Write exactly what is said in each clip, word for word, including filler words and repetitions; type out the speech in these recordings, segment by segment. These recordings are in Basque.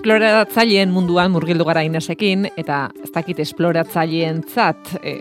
Esploratzaileen munduan murgildu gara Inesekin, eta ez dakit esploratzaileentzat, e,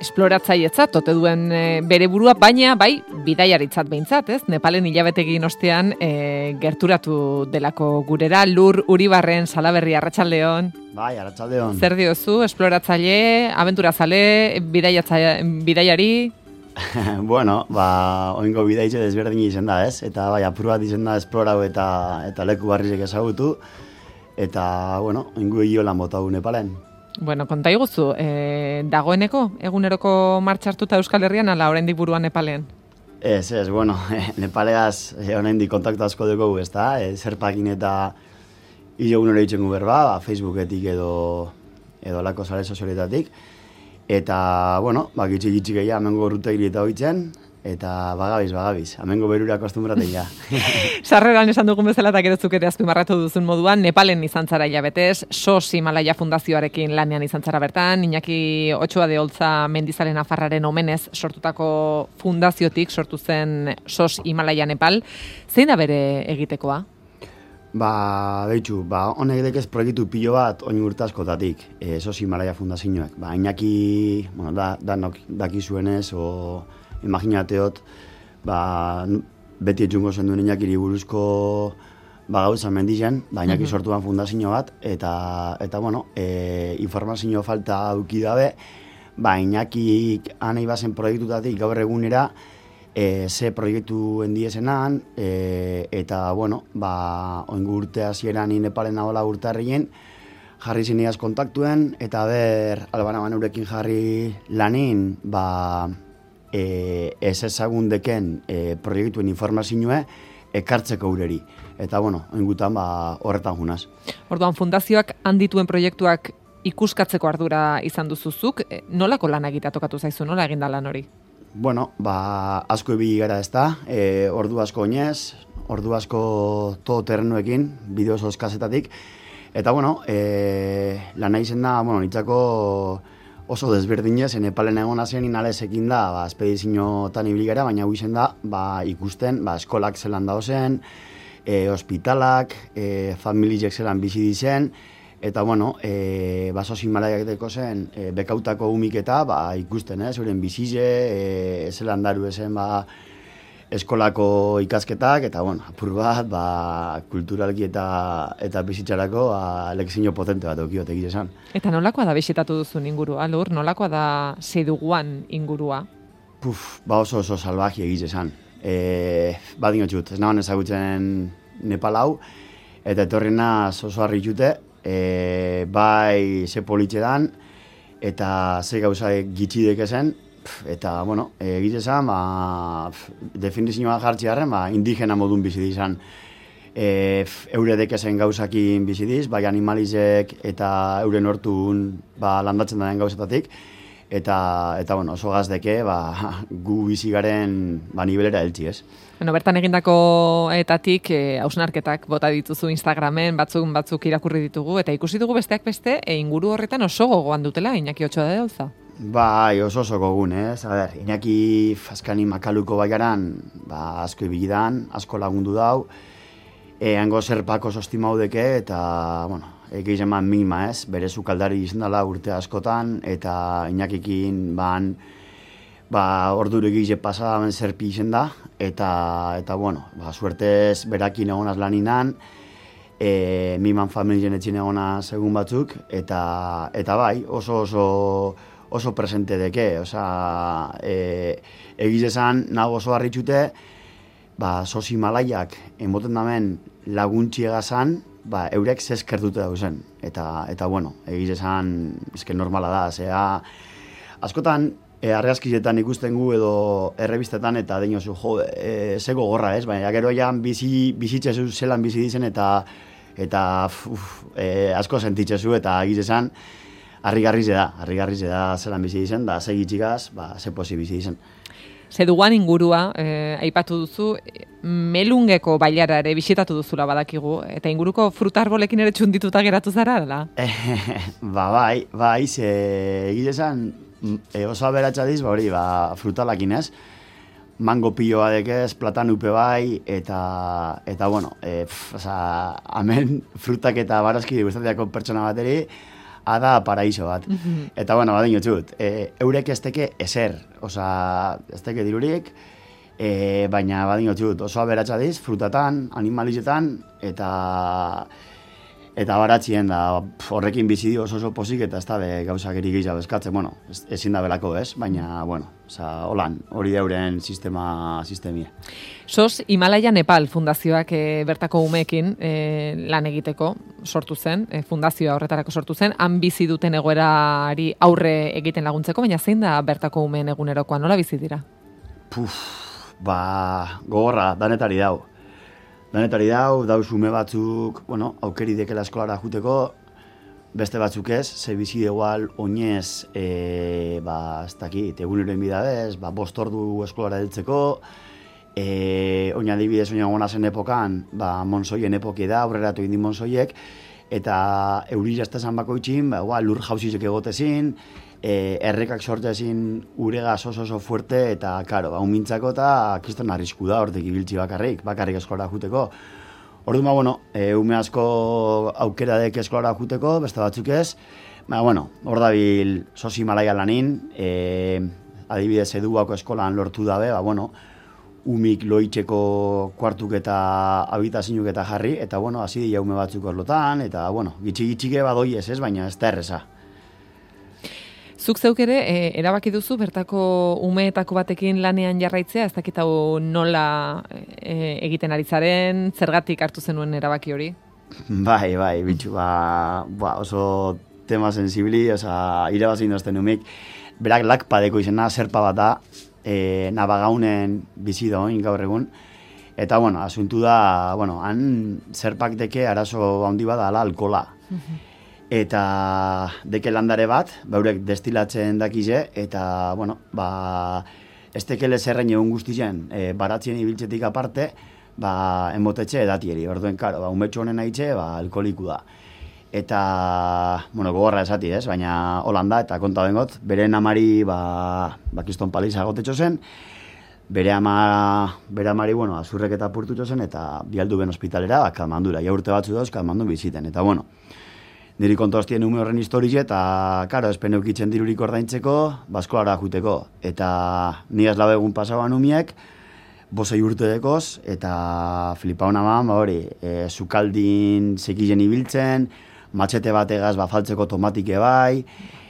esploratzailetzat ote duen e, bere burua, baina bai bidaiaritzat behintzat, ez? Nepalen hilabetegin ostean e, gerturatu delako gurera, Lur Uribarren, Salaberri, arratsaldeon. Bai, arratsaldeon. Zer diozu, esploratzaile, abenturazale, bidaiari? Bueno, ba, oingo bidaitze desberdin izen da, ez? Eta bai, apur bat izen da esplorau eta, eta leku barrizek ezagutu. Eta, bueno, oingo hiolan bota du Nepalen. Bueno, konta iguzu, e, dagoeneko, eguneroko martxartuta Euskal Herrian, ala oraindik buruan Nepalen? Ez, ez, bueno, Nepaleaz e, oraindik kontaktu asko dugu, ez da? E, zerpakin eta hilo egunero itxengu berba, ba, Facebooketik edo, edo lako sare sozialetatik. Eta, bueno, ba, gitxi-gitxi gehiago, amengo rutegri eta hoitzen, eta bagabiz, bagabiz, amengo berura kostumbraten ja. Sarreran esan dugun bezala eta gerozuk ere azpimarratu duzun moduan, Nepalen izan zara hilabetez, S O S Himalaya Fundazioarekin lanean izan zara bertan, Iñaki Otxoa de Olza Mendizale Nafarraren omenez sortutako fundaziotik sortu zen S O S Himalaya Nepal. Zein da bere egitekoa? Ba, behitxu, ba, honek dekez proiektu pilo bat oin urte askotatik, e, S O S Himalaya Fundazioak. Ba, Iñaki, bueno, da, da nok, daki zuenez, o imaginateot, ba, beti etxungo zen duen Iñakiri buruzko ba, gauza mendizen, ba, Iñaki sortu ban fundazio bat, eta, eta bueno, e, informazio falta duki dabe, ba, Iñakik anei bazen proiektutatik gaur egunera, E, ze proiektu endiezenan, e, eta, bueno, ba, oingu urte hasieran ni Nepalen nagoela urte harrien, jarri zineaz kontaktuen, eta ber, albana banurekin jarri lanin, ba, e, ez ezagun deken e, proiektuen informazioa ekartzeko ureri. Eta, bueno, oingutan, ba, horretan junaz. Orduan, fundazioak handituen proiektuak ikuskatzeko ardura izan duzuzuk, nolako lan egitea tokatu zaizu, nola eginda lan hori? Bueno, ba, asko ibili gara ez da, e, ordu asko oinez, ordu asko todo terrenoekin, bideo oso eskazetatik, eta, bueno, e, lan nahi zen da, bueno, nitzako oso desberdinez, Nepalen egon azien inalezekin da, ba, espedizioetan ibili gara, baina huizen da, ba, ikusten, ba, eskolak zelan da zen, e, hospitalak, e, familiek zelan bizi dizen, eta, bueno, e, ba, S O S Himalaiak deko zen, e, bekautako umiketa, ba, ikusten, ez, euren bizize, e, zelan daru ezen, ba, eskolako ikasketak, eta, bueno, apur bat, ba, kulturalki eta, eta bizitzarako, ba, lekzio potente bat eukiote egiz esan. Eta nolakoa da bisitatu duzun ingurua, Lur? Nolakoa da seduguan ingurua? Puf, ba, oso oso salvaji egiz esan. E, ba, dinotxut, ez nagoen ezagutzen Nepal hau, eta etorrena oso harri jute, E, bai ze politxe dan, eta ze gauza gitxi dekezen, eta, bueno, egite esan, ba, definizioa jartzi harren, ba, indigena modun bizi dizan. E, eure dekezen gauzakin bizi diz, bai animalizek eta euren hortun ba, landatzen daren gauzatatik, eta, eta bueno, oso gazdeke, ba, gu bizi garen ba, nibelera heltzi, ez? Bueno, bertan egindako etatik e, hausnarketak bota dituzu Instagramen, batzuk batzuk irakurri ditugu, eta ikusi dugu besteak beste, e, inguru horretan oso gogoan dutela, Iñaki Otxoa de Olza. Bai, oso oso gogun, ez? A ber, Iñaki Faskani Makaluko baiaran, ba, asko ibigidan, asko lagundu dau, e, hango zerpako sostimau deke, eta, bueno, egin eman minima, ez? Bere sukaldari izan dela urte askotan, eta Iñakikin, ban, ba, ordure egize pasadamen zerpi izen da, eta, eta bueno, ba, suertez berakin egonaz laninan, e, miman familien etxin egonaz egun batzuk, eta, eta bai, oso oso, oso presente deke, oza, e, egize esan, nago oso harritxute, ba, S O S Himalaiak emoten damen laguntxiega zan, ba, eurek zeskertute dauzen, eta, eta bueno, egize esan, ezken normala da, zera, askotan, E, argazkizetan ikusten gu edo errebistetan eta deinozu, jo, e, zego gorra, ez? Baina gero ean bizi, bizitzezu zelan bizi dizen eta eta uf, e, asko sentitzezu eta egitezan harrigarriz da, harrigarriz da zelan bizi dizen, da ze gitxigaz, ba, ze posi bizi dizen. Zeduan ingurua, eh, aipatu duzu, Melungeko bailara ere bisitatu duzula badakigu, eta inguruko frutarbolekin ere txundituta geratu zara, dela? ba, bai, bai, ze egitezan, E, oso aberatsa diz, ba hori, ba, frutalakin ez. mango pilo badekez, platanupe bai, eta, eta bueno, e, pff, oza, hemen frutak eta barazki guztatiako pertsona bateri, ada paraiso bat. Mm-hmm. Eta bueno, badin txut, e, eurek ez teke eser, oza, ez teke dirurik, e, baina badin txut, oso aberatsa diz, frutatan, animalizetan, eta... Eta baratzien da, horrekin bizi dio oso oso pozik eta ez da be gauzak eri gehiago eskatzen, bueno, ezin da belako ez, baina, bueno, oza, holan, hori deuren sistema, sistemia. Sos Himalaya Nepal fundazioak e, bertako umeekin e, lan egiteko sortu zen, e, fundazioa horretarako sortu zen, han bizi duten egoerari aurre egiten laguntzeko, baina zein da bertako umeen egunerokoa, nola bizi dira? Puf, ba, gogorra, danetari dau. Danetari dau, dauz ume batzuk, bueno, aukeri dekela eskolara juteko, beste batzuk ez, ze bizi igual oinez, e, ba, ez dakit, eguneroen bidadez, ba, bost ordu eskolara heltzeko, e, oina adibidez, oina gona zen epokan, ba, monsoien epoki da, aurreratu indi monsoiek, eta euri jaztezan bako itxin, ba, igual, lur jauzizek egotezin, E, errekak sortezin uregaz oso oso fuerte eta, karo, ba, unmintzako eta kriston arrisku da hortek ibiltzi bakarrik, bakarrik eskolara juteko. Orduan, ba, bueno, e, ume asko aukera dek eskolara juteko, beste batzuk ez, ba, bueno, hor dabil Sos Himalaya lanin, e, adibidez eduako eskolan lortu dabe, ba, bueno, umik loitzeko kuartuk eta habitazinuk eta jarri, eta, bueno, hasi dira ume batzuk orlotan, eta, bueno, gitxi-gitxike badoi ez ez, baina ez da erreza. Zuk zeuk ere, e, erabaki duzu bertako umeetako batekin lanean jarraitzea, ez dakit hau nola e, egiten ari zaren, zergatik hartu zenuen erabaki hori? Bai, bai, bitxu, ba, ba oso tema sensibili, oza, irabazin dozten umik, berak lakpadeko izena, zerpa bat da, e, nabagaunen bizi da oin gaur egun, eta, bueno, asuntu da, bueno, han zerpak deke arazo handi bada ala alkola. Eta deke landare bat, baurek destilatzen dakize, eta, bueno, ba, ez tekele zerrein egun guztien, e, baratzien ibiltzetik aparte, ba, enbotetxe edatieri. Orduen, karo, ba, umetxo honen haitxe, ba, alkoholiku da. Eta, bueno, gogorra esati, ez, baina holanda, eta konta bengot, bere amari, ba, bakiston paliza gotetxo zen, bere ama, bere amari, bueno, azurrek eta purtutxo zen, eta bialdu ben hospitalera, ba, kalmandura, ja urte batzu dauz, kalmandun biziten, eta, bueno, niri kontostien ume horren historie eta, karo, espen eukitzen dirurik ordaintzeko, baskolara juteko. Eta ni ez labe egun pasaban umiek, bosei urte dekoz, eta flipauna man, ba hori, e, zukaldin sekilen ibiltzen, matxete bategaz bafaltzeko tomatike bai,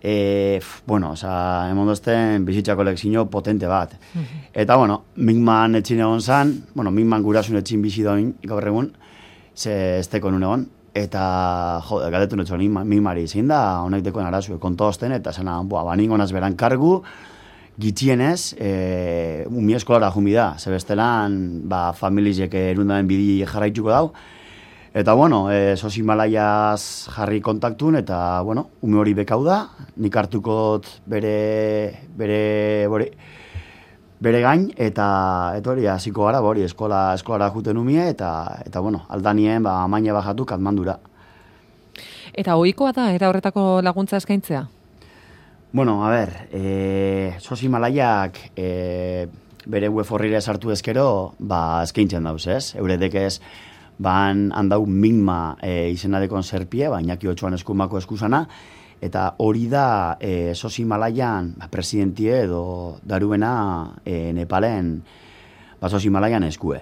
e, f, bueno, oza, emondozten bizitzako lekzio potente bat. Eta, bueno, Mingman etxin egon zan, bueno, Mingman gurasun etxin bizi doin gaur egun, ze ez teko nun egon, eta, jode, galdetu netxo, mimari zein da, honek dekoen arazue, kontosten, eta zena, boa, baningo naz beran kargu, gitxienez, e, umi eskolara jumi da, zebestelan, ba, familizek erundaden bidi jarraituko dau, eta, bueno, e, Sos Himalayaz jarri kontaktun, eta, bueno, ume hori bekau da, nik hartukot bere, bere, bere, bere gain, eta eta hori hasiko gara, hori eskola eskolara juten umie, eta, eta bueno, aldanien ba, amaina bajatu Katmandura. Eta ohikoa da, era horretako laguntza eskaintzea? Bueno, a ber, e, Sos Himalayak e, bere web horrira sartu ezkero, ba, eskaintzen dauz, ez? Euredek ez, ban handau Mingma e, izenadekon zerpie, baina ki otxoan eskumako eskuzana, eta hori da e, Sos Himalayan ba, presidentie edo daruena e, Nepalen ba, Sos Himalayan eskue.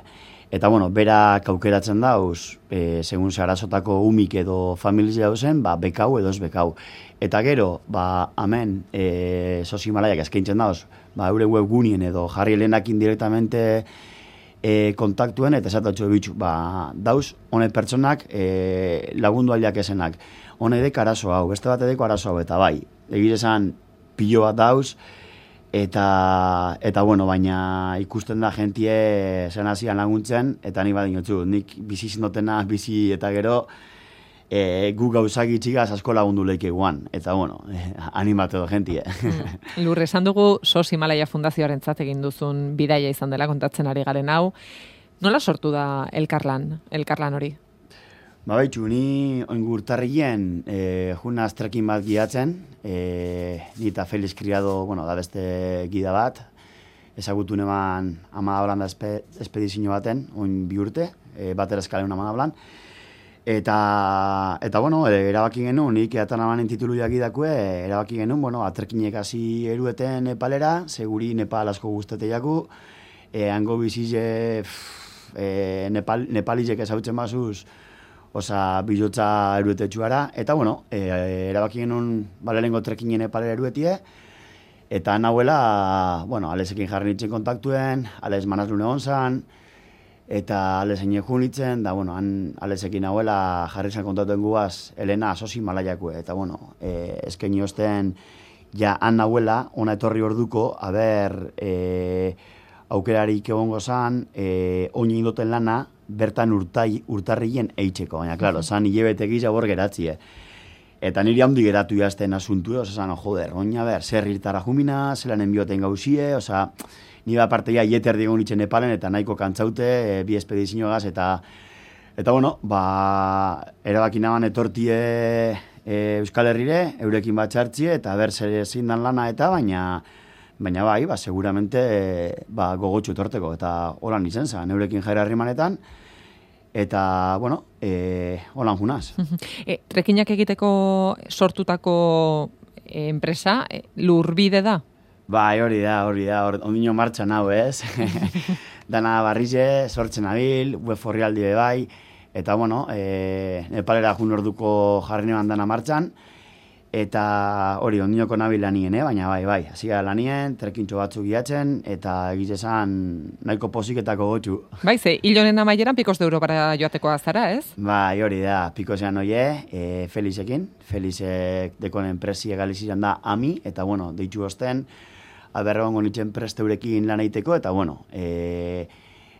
Eta, bueno, berak aukeratzen dauz, e, segun zarazotako umik edo familizia dauzen, ba, bekau edo ez bekau. Eta gero, ba, amen, e, Sos Himalayak eskaintzen dauz, ba, eure webgunien edo jarri helenakin direktamente e, kontaktuen, eta esatatxo bitxu, ba, dauz, honet pertsonak e, lagundu aldiak esenak. Hone dek arazo hau, beste bat edeko arazo hau, eta bai, egire esan pilo bat dauz, eta, eta bueno, baina ikusten da jentie zen hasian laguntzen, eta ni badin otzu, nik bizi zindotena, bizi eta gero, e, gu gauzak itxigaz asko lagundu leike guan, eta bueno, e, animatu edo jentie. Mm. Lur, esan dugu Sos Himalaya Fundazioaren egin duzun bidaia izan dela kontatzen ari garen hau, nola sortu da elkarlan, elkarlan hori? Ba, baitxu, ni oingurtarrien e, juna aztrekin bat giatzen, e, ni eta Felix Criado, bueno, da beste gida bat, ezagutu neban Amadablan da espe, espedizio baten, oin bi urte, e, batera eskaleun Amadablan. Eta, eta bueno, e, erabaki genuen, nik eatan amanen titulu jakidakue, erabaki genuen, bueno, aterkinek hasi erueten Nepalera, seguri Nepal asko guztete jaku, e, hango bizize, e, Nepal, Nepalizek ezautzen bazuz, oza, bilotza eruetetxuara, eta bueno, e, erabaki genuen balelengo trekinen Nepalera eruetie, eta nahuela, bueno, alezekin jarri nintzen kontaktuen, alez manazlune onzan, eta alezein egun nintzen, da, bueno, han alezekin nahuela jarri zen kontaktuen guaz, Elena Sosi Malaiakue, eta, bueno, e, ezken osten, ja, han nahuela, ona etorri orduko, haber, e, aukerarik egongo zan, e, oin indoten lana, bertan urtai, urtarrien eitzeko, baina, klaro, zan hilebete giza bor geratzie. Eta niri handi geratu jazten asuntu, oza, zan, joder, oina ber, zer irtara jumina, zelan enbioten gauzie, oza, nire aparteia ieter digun itxen Nepalen, eta nahiko kantzaute, e, bi espedizioagaz, eta, eta, bueno, ba, erabaki naban etortie e, Euskal Herrire, eurekin bat txartzie, eta ber, zer zindan lana, eta, baina, baina bai, ba, seguramente, ba, gogotxu etorteko, eta holan izen zen, eurekin jaira harrimanetan, eta, bueno, e, holan junaz. e, trekinak egiteko sortutako e, enpresa, e, Lurbide da? Bai, hori da, hori da, hor, ondino martxan hau, ez? Dana barrize, sortzen abil, web orrialdi be bai, eta, bueno, e, Nepalera jun orduko jarri neban dana martxan, eta hori, ondinoko nabil lanien, eh? Baina bai, bai, hasi gara lanien, trekintxo batzuk giatzen, eta egitezan nahiko posiketako gotxu. Bai, ze, hilonen amaieran Picos de Europara joateko azara, ez? Bai, hori da, Picosean oie, e, Felizekin, Felizek dekon enpresi egaliziran da ami, eta, bueno, deitu osten, aberregongo nintzen presteurekin lan egiteko, eta, bueno, e,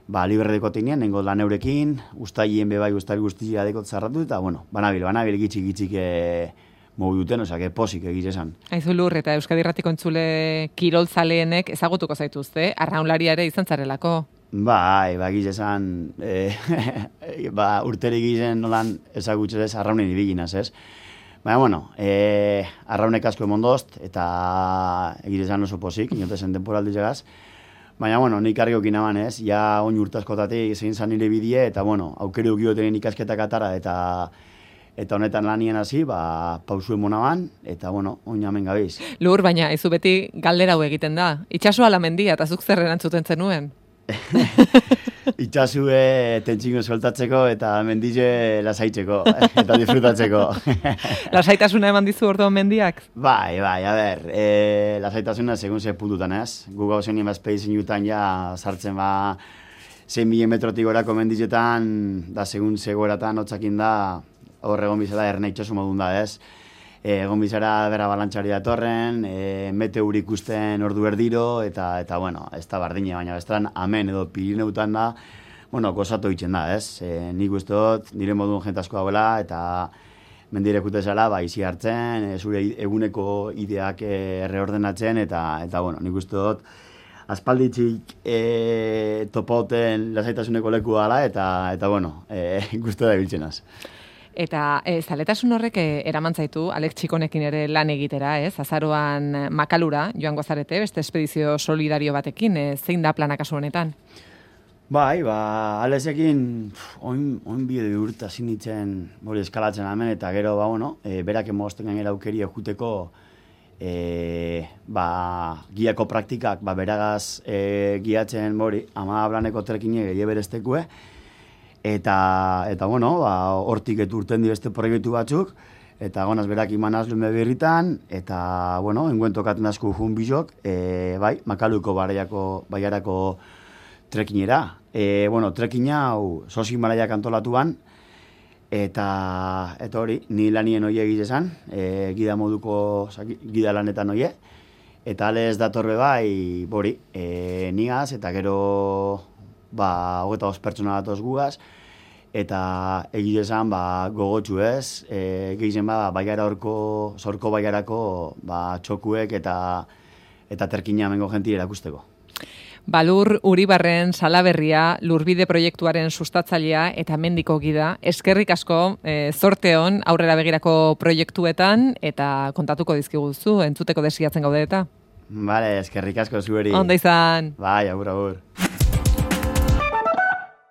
ba, libre dekotinean, nengo lan eurekin, ustailien bebai, ustail guztia dekot zarratu, eta, bueno, banabil, banabil gitxik gitxik e, mogu duten, osea, que posik egitezan. Aizu Lur, eta Euskadi Irratiko entzule kiroltzaleenek ezagutuko zaituzte, arraunlaria ere izan zarelako. Bai, ba, egitezan, e, ba, urterik egiten nolan ezagutzez arraunen ibiginaz, ez? Baina, bueno, e, arraunek asko emondozt, eta egitezan oso posik, inotezen temporaldi llegaz. Baina, bueno, nik argiokin aman, ez? Ja, oin urtazkotatik zein zan nire bidie, eta, bueno, aukeri ukioten ikasketak atara, eta eta honetan lanien hasi, ba, pausu emonaban, eta, bueno, oin amen gabiz. Lur, baina, ez beti galdera hau egiten da. Itxasua la mendia, eta zuk zer erantzuten zenuen? Itxasue tentxingo soltatzeko eta mendize lasaitzeko, eta disfrutatzeko. Lasaitasuna eman dizu orduan mendiak? Bai, bai, a ber, e, lasaitasuna segun ze puntutan, ez? Gu gauzenien bazpedizin jutan ja sartzen ba zein milen metrotik gorako mendizetan, da segun zegoeratan hotzakin da, hor egon bizala ernaitxosu modun da, ez? E, egon bizara bera balantxari datorren, e, meteo ikusten ordu erdiro, eta, eta bueno, ez da bardine, baina bestean amen edo Pirineutan da, bueno, gozatu itzen da, ez? E, nik uste dut, nire modun jentasko dauela, eta mendirekute zela, ba, izi hartzen, e, zure eguneko ideak e, erreordenatzen, eta, eta bueno, nik uste dut, aspalditzik e, topauten lasaitasuneko leku dala, eta, eta bueno, e, ikuste da biltzenaz. Eta e, zaletasun horrek e, eraman zaitu, Alex Txikonekin ere lan egitera, ez? Azaroan Makalura joango zarete, beste espedizio solidario batekin, e, zein da plana kasu honetan? Bai, ba, Alexekin oin, oin bide urta zinitzen hori eskalatzen hemen, eta gero, ba, bueno, e, berak emozten gainera aukeri juteko e, ba, giako praktikak, ba, beragaz e, giatzen hori, ama blaneko trekine gehi bereztekue, Eta, eta bueno, ba, hortik eturten di beste proiektu batzuk, eta gonaz berak imanaz lume berritan, eta, bueno, enguen tokaten asko jun bizok, e, bai, Makaluko baiarako, baiarako trekinera. E, bueno, trekina hau Sosi Malaiak antolatuan, eta, eta hori, ni lanien oie egizezan, e, gida moduko, oza, gida lanetan oie, eta alez datorbe bai, bori, e, nigaz, eta gero, ba, hogeta os pertsona datoz gugaz, eta egitezan, ba, gogotxu ez, e, gehizen ba, baiara horko, zorko baiarako, ba, txokuek eta, eta terkina mengo jenti erakusteko. Balur Uribarren Salaberria Lurbide proiektuaren sustatzailea eta mendiko gida. Eskerrik asko, e, zorte hon aurrera begirako proiektuetan, eta kontatuko dizkiguzu, entzuteko desiatzen gaude eta. Vale, eskerrik asko zueri. Onda izan. Bai, agur, agur.